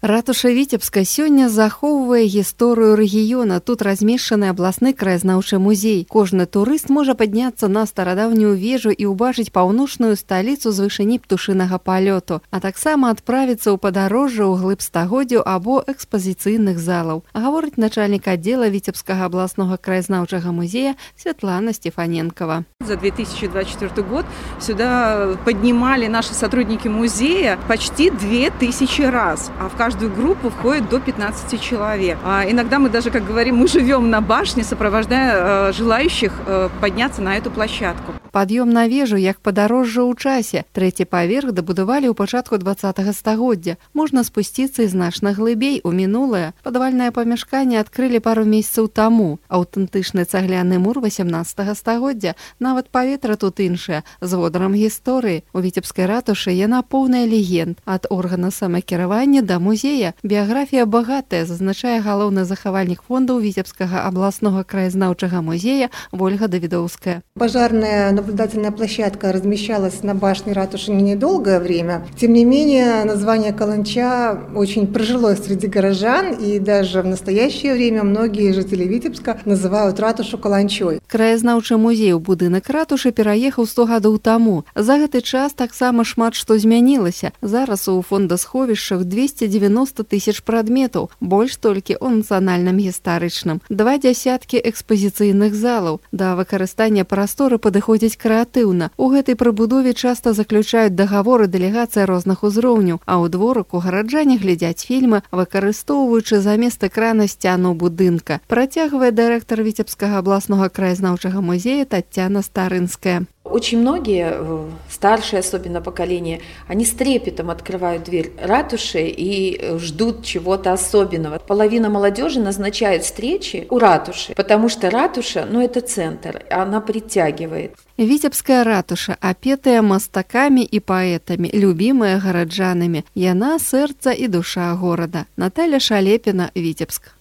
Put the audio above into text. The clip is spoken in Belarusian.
Ратуша Віцебска сёння захоўвае гісторыю рэгіёна. Тут размешчаны абласны краязнаўчы музей. Кожны турыст можа падняцца на старадаўнюю вежу і ўбачыць паўночную сталіцу з вышыні птушынага палёту, а таксама адправіцца ў падарожжа ў глыб стагоддзяў або экспазіцыйных залаў. Гаворыць начальнік аддзела Віцебскага абласнога краязнаўчага музея Светлана Стефаненкова. За 2024 год сюда поднимали наши сотрудники музея почти 2000 раз, а в каждую группу входит до 15 человек. Иногда мы даже, как говорим, мы живем на башне, сопровождая желающих подняться на эту площадку. Пад'ём на вежу як падарожжа ў часе. Трэці паверх дабудавалі ў пачатку 20-го стагоддзя. Можна спусціцца і значна глыбей у мінулае. Падвальнае памяшканне адкрылі пару месяцаў таму. Аўтэнтычны цагляны мур 18-го стагоддзя. Нават паветра тут іншае, з водарам гісторыі. У Віцебскай ратушы яна поўная легенд. Ад органа самакіравання да музея. Біяграфія багатая, зазначае галоўны захавальнік фондаў Віцебскага абласнога краязнаўчага музея Ольга Давидовская. Пожарная наблюдательная площадка размещалась на башне ратуши недолгое время. Тем не менее, название Каланча очень прижилось среди горожан, и даже в настоящее время многие жители Витебска называют ратушу Каланчой. Краязнаўчы музей у будынак ратушы пераехаў 100 гадоў таму. За гэты час таксама шмат што змянілася. Зараз у фондасховішчах 290 тысяч прадметаў, больш толькі ў нацыянальным гістарычным. 20 экспазіцыйных залаў. Да выкарыстання прасторы падыходзяць крэатыўна. У гэтай прыбудове часта заключаюць дагаворы дэлегацыі розных узроўняў, а ў дворыку гараджане глядзяць фільмы, выкарыстоўваючы замест экрана сцяну будынка. Працягвае дырэктар Віцебскага абласнога краязнаўчага музея Татьяна Старынская. Очень многие, старшие особенно поколение, они с трепетом открывают дверь ратуши и ждут чего-то особенного. Половина молодежи назначает встречи у ратуши, потому что ратуша, это центр, она притягивает. Віцебская ратуша, апетая мастакамі і паэтамі, любімая гараджанамі. Яна сэрца і душа горада. Наталя Шалепіна, Віцебск.